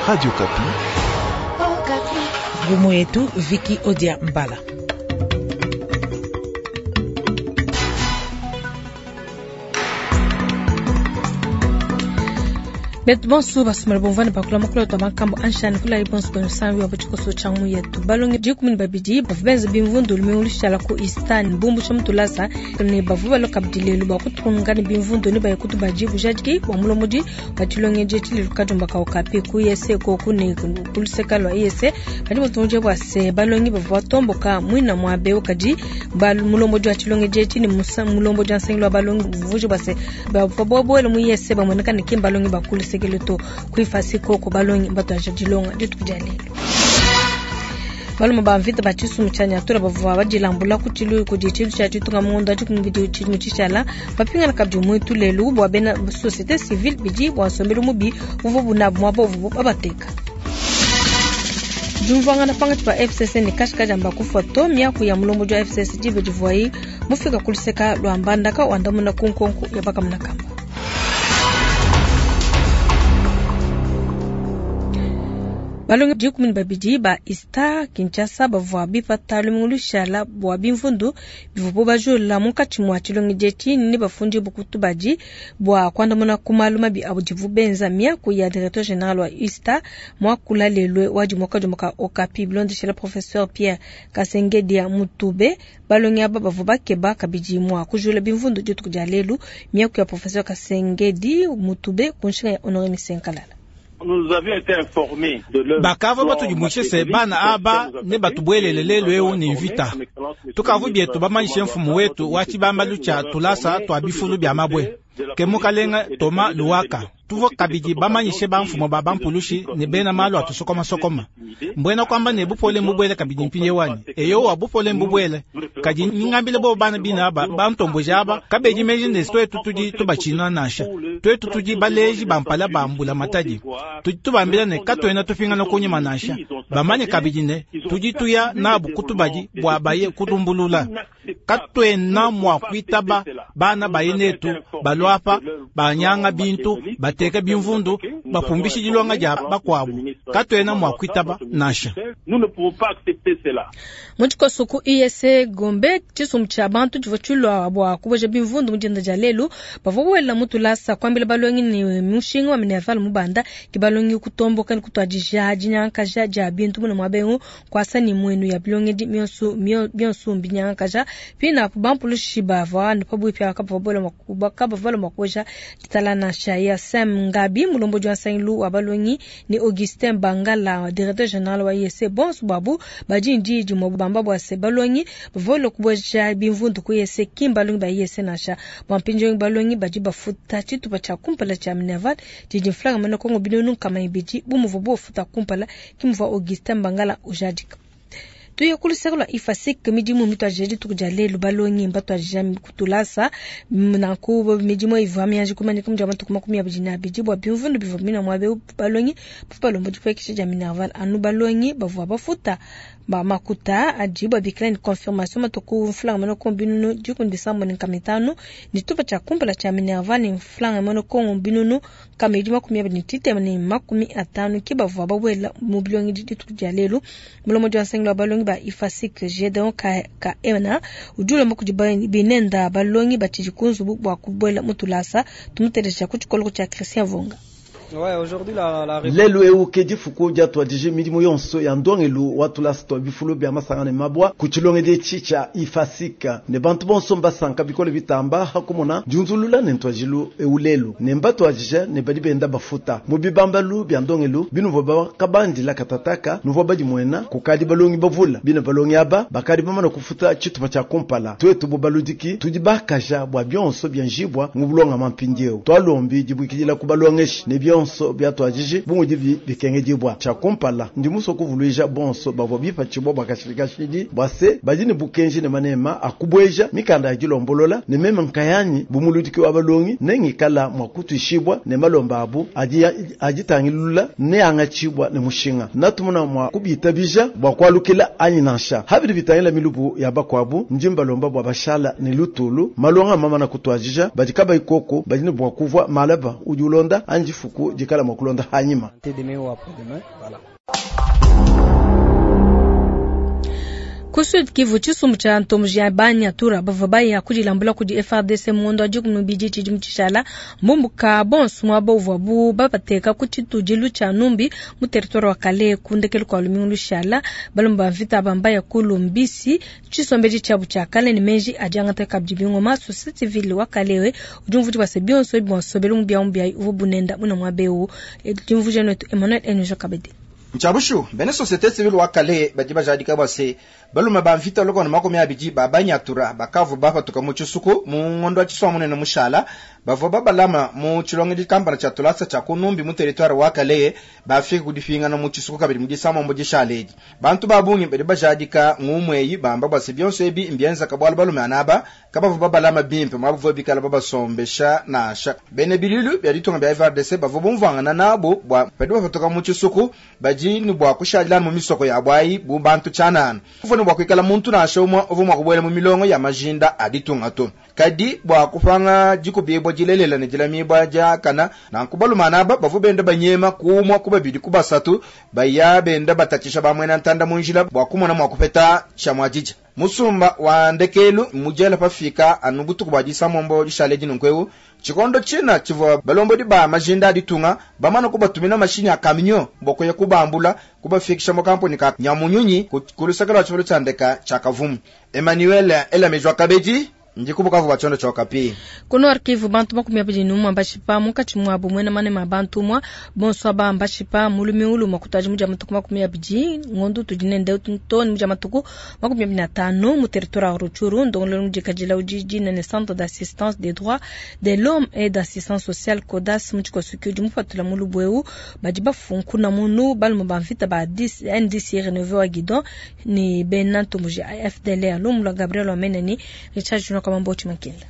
Radio Okapi. Ngumu yetu Viki Odia Mbala. Betu bonso basumala bomvana bakula makula twa makambo anshani kula ibonso bano sanwi wa bachikoso changu yetu balonge 12 bavu benza bimvundu lumingu lushala ku Eastern bumbu cha mutulasa ne bavu baloka bidilelu ba kutunga ne bimvundu ne bayekutu bajibu jadiki wa mulomodi bachilonge chili lukajumba ka okapi ku yese ko ku ne kuluseka lwa yese bali mutunje bwa se balongi bavu batomboka mwina mwabe okaji balu mulomodi wa chilonge jechi ni mulomodi wa nsengelo wa balongi vuje bwa se bavu bobo mu yese bamoneka ne kimbalongi bakulu sekeleto kuifasi koko balongi mbato aja dilonga dituku dia lelo balume ba mvita ba tshisumu tshia nyatura bavua badilambula ku tshilu kudi tshintu tshia tshitunga mu ngondo wa 12 tshidimu tshishala bapingana kabidi muitu lelu bua bena société civile bidi bua nsombelu mubi uvua bunabu muaba uvubu babateka. Diumvuangana pankatshi pa FCC ne Kashika diamba kufua to miaku ya mulombodi wa FCC diba divuayi mufika ku luseka lua Mbandaka wandamuna ku nkonko ya bakamuna kamba. Balongi 12 ba Ista Kinshasa bavua bipata lumingu lushala bua bimvundu bivua bajula munkatshi mua tshilongi dietshi ne bafundi bukutu badi bua kuandamuna ku malu mabi abu benza miaku ya directeur general wa Ista muakula lelwe wa dimoka dimoka Okapi bilondeshela professeur Pierre Kasengedia Mutube. Balongi aba bavua bakeba kabidi mua kujula bimvundu dituku dia lelu miaku ya professeur Kasengedi Mutube ku nshinga ya Honore Misenkalala. Bakava batudimushise bana aba ne batubwelele lelu eu ni mvita tukavu bietu bamanyishe mfumu wetu wa tshibambalu tshia tulasa twa bifulu bia mabwe ke mukalenga Toma Luwaka tuvua kabidi bamanyishe bamfumu ba bampulushi ne bena malu atusokomasokoma mbwena kwamba ne bupole mbubwele kabidi mpinye wani eyowa bupole mbubwele kadi ningambile bo bana bina aba bantomboji aba kabedi meji ne twetu tudi tubachina nansha twetu tudi baleji bampala bambula matadi tudi tubambila ne katuena tupingana kunyima nansha bamanye kabidi ne tudi tuya nabu kutubadi bua baye kutumbulula katuena mua kuitaba bana baye netu baluapa banyanga bintu bateka bimvundu bapumbishe dilonga dia bakuabu katuena mua kuitaba nansha. Mu tshikoso ku ISC Gombe tshisumbu tshia bantu tshivua tshilua bua kuboja bimvundu mu dinda dia lelu bavua buela mu tulasa kuambila balongi ne mushinga wa minerval mubanda ke balongi kutomboka ne kutuadija dinyankaja dia bintu muna muaba eu kuasa ne muenu ya bilongedi mionso mbinyankaja pinapu bampulushi bavua ne pabuipi aba kabavua mua kuboja ditala nansha ya Sam Ngabi mulombodi wa nsangilu wa balongi ne Augustin Bangala directeur general wa ISC bonso babu badi ndi dimue bamba bua se balongi bavua kuboja bimvundu ku ISC ki mbalongi ba ISC nansha bua mpindieu balongi badi bafuta tshitupa tshia kumpala tshia Minerval didi mfranga mena Kongo 200 bu muvua bofuta kumpala ki muvua Augustin Bangala ujadika. Tuye ku luseke lua IFASIC midimu mituadija dituku dia lelu balongi mbatuadija kutulasa nanku midimu ivua mianji kumanyika mu dia matuku 22 bua bimvundu bivua bina muaba balongi bavua balomba dipuekesha dia Minerval anu balongi bavua bafuta ba makuta adi babikila ne confirmation matuku mfranga mena Kongo 675 ne tshitupa tshia kumpala tshia Minerval ne mfranga mena Kongo 22350 ke bavua babuela mu bilongi dituku dia lelu mulombodi wa nsangilu wa balongi ba IFASIC Gedeon Kaena udi ulomba kudi binenda balongi batshidi ku nzubu bua kubuela mu tulasa tumuteleja ku tshikoloko tshia Christian Vonga. Lelu eu ke difuku diatuadije midimu yonso ya ndongelu wa tulasa twa bifulu bia masanga ne mabwa ku tshilongedi etshi tshia IFASIC ne bantu bonso mbasanka bikole bitamba hakumona diunzulula ne ntuajilu eu lelu ne mbatuadije ne badi benda bafuta mu bibambalu bia ndongelu binuvua bakabandila katataka nuvua badimuena kukadi balongi bavula bina balongi aba bakadi bamana kufuta tshitupa tshia kumpala twetu bu baludiki tudi bakaja bua bionso bia njibwa mu bulongama mpindieu twalombi dibuikidila ku balongeshi ne bionso byatuadije bu mudi bikengedibwa tshia kumpala ndi musue kuvuluija bonso bavua bipatshibwa bua kashidi bua se badi ne bukenji ne manema akubueja mikanda ya dilombolola ne meme nkayanyi bu muludiki wa balongi ne ngikala mua kutuishibwa ne malomba abu adi aditangilula ne angatshibwa ne mushinga natumuna mua kubitabija bua kualukila anyi nansha habidi bitangila milubu ya bakwabu ndi mbalomba bua bashala ne lutulu malonga mamana kutuadija badi kabayi koko badi ne bua kuvua malaba udi ulonda anji fuku. dituku dikala mua kulonda hanyima. Ku Sud Kivu, tshisumbu tshia ntomboji ya Banyatura bavua baya kudilambula kudi FARDC mu ngondo wa 12 tshidimu tshishala mbumbuka bonso muaba uvuabu babateka ku tshitudilu tshia Numbi mu territoire wa Kalehe ku ndekelu kua lumingu lushala. Balomba ba mvita aba mbaya ku Lumbisi tshisombedi tshiabu tshia kale ne meji adi angata kabidi bingoma. Société civile wa Kalehe udi umvuija bua se bionso ebi bua nsombelu mubiamubiayi uvua bunenda muna muaba eu. Dimvuija netu Emmanuel Enojo Kabedi. Nchabushu bene société civile wa Kalehe badi bajadika bua se balume ba mvita lokona 20 ba Banyatura bakavu bapatuka mu tshisuku mu ngondo wa tshiswa munene mushala bavua babalama mu tshilongedi kampala tshia tulasa tshia kunumbi mu territoire wa Kalehe bafika kudifingana mu tshisuku kabidi mu disamombo dishaledi. Bantu ba bungi badi bajadika ngumweyi bamba bua se bionso ebi mbienza kabwalu balume anaba kabavu babalama bimpe mwabu bikala babasombesha nasha. Bene bililu bya ditunga bya FARDC bavua bumvangana nabo bua badi bapatuka mu tshisuku badi ni bua kushadila mu misoko ya bwayi bu bantu tshanana. Uvua ne bua kuikala muntu nansha umwe uvua mua kubuela mu milongo ya majinda a ditunga to. Kadi bua kupanga dikubibwa dilelela ne dilamibwa diakana nanku balumana aba bavua benda banyema kumwa ku babidi ku basatu baya benda batatshisha bamwena ntanda mu njila bua kumona mua kupeta tshia muadija. Musumba wa ndekelu mujela pafika anu butuku bua disamombo dishale dinunkweu tshikondo tshina tshivua balombodi ba majinda a ditunga bamana kubatumina mashinyi a kaminyo bua kuya kubambula kubafikisha mu kampuni ka Nyamunyunyi ku luseke lwa tshivulu tshia ndeka tshia Kavumu. Emmanuel Elamejwa Kabedi ndikubukavu bwa tshondo tsha Okapi. Kuno arkivu bantu 21 mbashipa munkatshi muabu mwena manema bantu mwa bonso aba mbashipa mulumi ulu makutaji muja matuku 20 ngondu tudinende toni muja matuku 25 mu territoire wa Rutshuru ndongolo mujikajila ujiji ne centre d'assistance des droits de l'homme et d'assistance sociale CODAS mu tshikosuki udi mupatula mu lubweu badi bafunkuna munu balume ba mvita ba NDC renouveau wa Guidon ni bena ntomboji FDLR lumula Gabriel Wameneni Richard Junior Kamambo Chimakinda.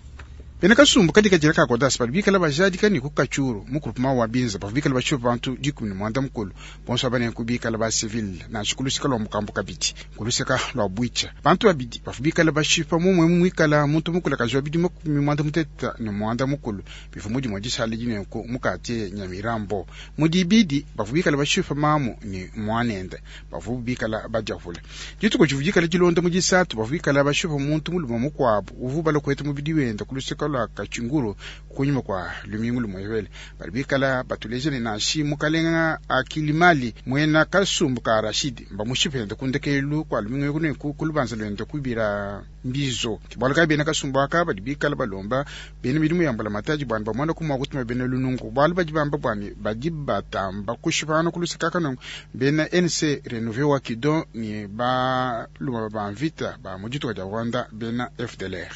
Bena kasumbu katika jira ka CODAS bali bikala bajadika ni kukachuru mu groupement wa Binza bavu bikala bashupa bantu 11 bonso abane kubikala ba civil na shikulusika lwa mukambo kabidi kulusika lwa bwicha bantu babidi bavu bikala bashipa mumwe mwikala muntu mukula kajwa bidi 38 mukulu bivu mudi mwadisha lijine ku mukate Nyamirambo mudibidi bavu bikala bashipa mamu ni mwanende bavu bikala bajavula dituko chivujikala chilonda mujisatu bavu bikala bashipa muntu muluma mukwabu uvu bala kwetu mubidi wenda kulusika lwa kachinguru kunyuma kwa lumingu lumwevele bali bikala batulejele nashi mukalenga akilimali mwena kasumbu ka Rashidi mba mushipende kundekelu kwa lumingu kuneku kulubanza lwende kubira mbizo kibwalo ka bena kasumbu aka bali bikala balomba bena midimu yambala mataji bwana bamwana kumwa kutuma bena lunungu bwalo badi bamba bwani badi batamba kushipana kulusika kano bena NC renouveau wa Kidon ni ba luma ba mvita ba mujituka ja Rwanda bena FDLR.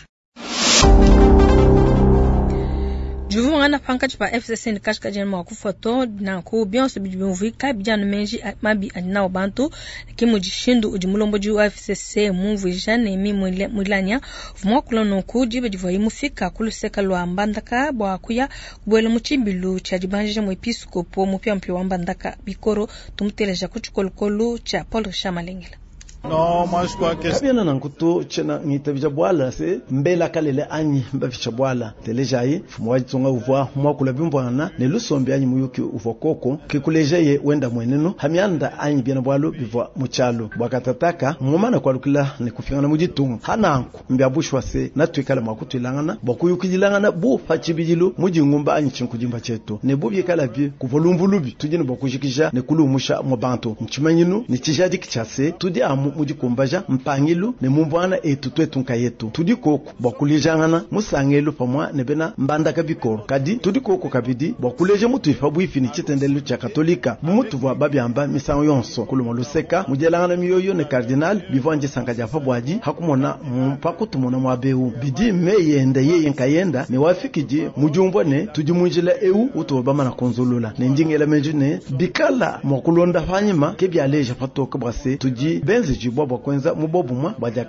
Juvungana pankachi pa FCC ni kashika jena mwakufoto na ku bionso bidibimvika bijana menji mabi anao bantu kimujishindu udi mulombo ju FCC mumvija ne mi mulanya vumwakula nonku jibe divoyi mufika kuluseka lwa Mbandaka bwa kuya kubwela muchimbilu cha dibanjija mu episcopo mupya mpya wa Mbandaka bikoro tumuteleja kuchikolokolo cha Paul Richard Malengela. Non, moi je crois que kabiana nankuto tshena ngitabija bwala se mbela kalele anyi mbavisha bwala telejai fumu wajitunga uvwa mwakula bimbwana ne lusombi anyi muyuki uvwa koko kikulejaye wenda mwenenu hamianda anyi biana bwalu bivwa muchalo bwakatataka mumana kwalukila ne kufingana mujitunga hananku mbyabushwa se natwikala mwakutwilangana bwakuyukidilangana bu pachibidilu mujingumba anyi chinkujimba chetu ne bubyekala bi kuvolumbulubi tujini bwakujikija ne kulumusha mu bantu nchimanyinu ni chijadiki chase tudi amu mudikumbaja mpangilu ne mumbwana etu twetu nkayetu tudi koko bwakulejangana musangelu pamwa ne bena mbandaka bikoro kadi tudi koko kabidi bwakuleja mutu ifa bwifi ni chitendelu cha katolika bumutu bwa babyamba misango yonso kuluma luseka mujelangana miyoyo ne cardinal bivanje sanka jafa bwaji hakumona mpakutumona mwabeu bidi meyenda yeye nkayenda ne wafikiji mujumbwa ne tudi munjila eu utoba mana konzulula ne ndingela menju ne bikala mwakulonda fanyima ke byaleja patoka bwase tudi benze jibwa bwa kwenza mubobumwa bwa ja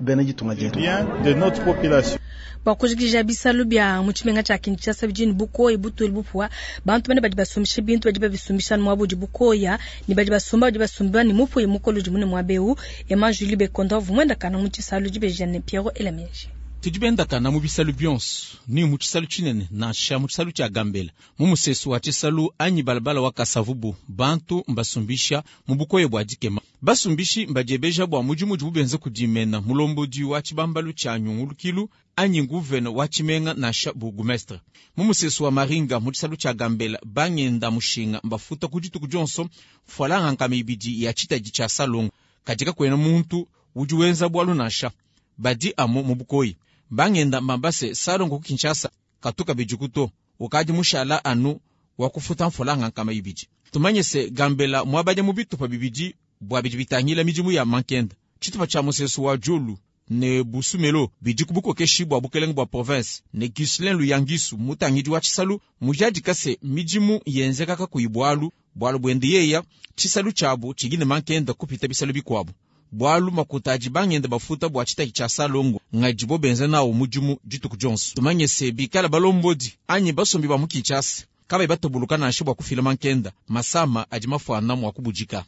bena jitunga jetu bien de notre population. Bwakujikija bisalu bya muchimenga cha Kinshasa bijini bukoyi butuli bupwa bantu bane badi basumbisha bintu badi babisumbisha mwabu di bukoya ni badi basumba badi basumba ni mupu mukolo di mune mwabeu Emma Julie Bekonda vumwenda kana muchisalu di bejane Pierre Elamenji. Tudi bendakana mu bisalu bionso, ni mu tshisalu tshinene nansha mu tshisalu tshia Gambela, mu musesu wa tshisalu anyi balabala wa Kasavubu, bantu mbasumbisha mu bukoya bua dikema. Basumbishi mbadiebeja bua mudimu udibu benza kudi mena mulombodi wa tshibambalu tshia nyungulukilu anyi nguvene wa tshimenga nansha bourgmestre. Mu musesu wa Maringa mu tshisalu tshia Gambela, bangenda mushinga mbafuta ku dituku dionso mfualanga 200 ya tshitadi tshia salongo, kadi kakuena muntu udi wenza bualu nansha, badi amu mu bukoyi. Bangenda mbamba se salongo ku Kinshasa katuka kabidi to, ukadi mushala anu wa kufuta mfualanga 200. Tumanye se Gambela muabanya mu bitupa bibidi bua bidi bitangila midimu ya mankenda. Tshitupa tshia musesu wa Djolu ne Busumelo bidi ku bukokeshi bua bukelenge bua province ne Ghislain Luyangisu mutangidi wa tshisalu mujadika se midimu yenzeka kakuyi bualu, bualu buende yeya tshisalu tshiabu tshidi ne mankenda kupita bisalu bikuabu. Bualu makuta adi bangenda bafuta bua tshitaki tshia salongo ngadibo benza nawo mudimu dituku dionso. Tumanye se bikala balombodi anyi basombi ba mu Kinshasa kabayi batoboloka nansha bua kufila mankenda, masama adi mafuana mua kubudika.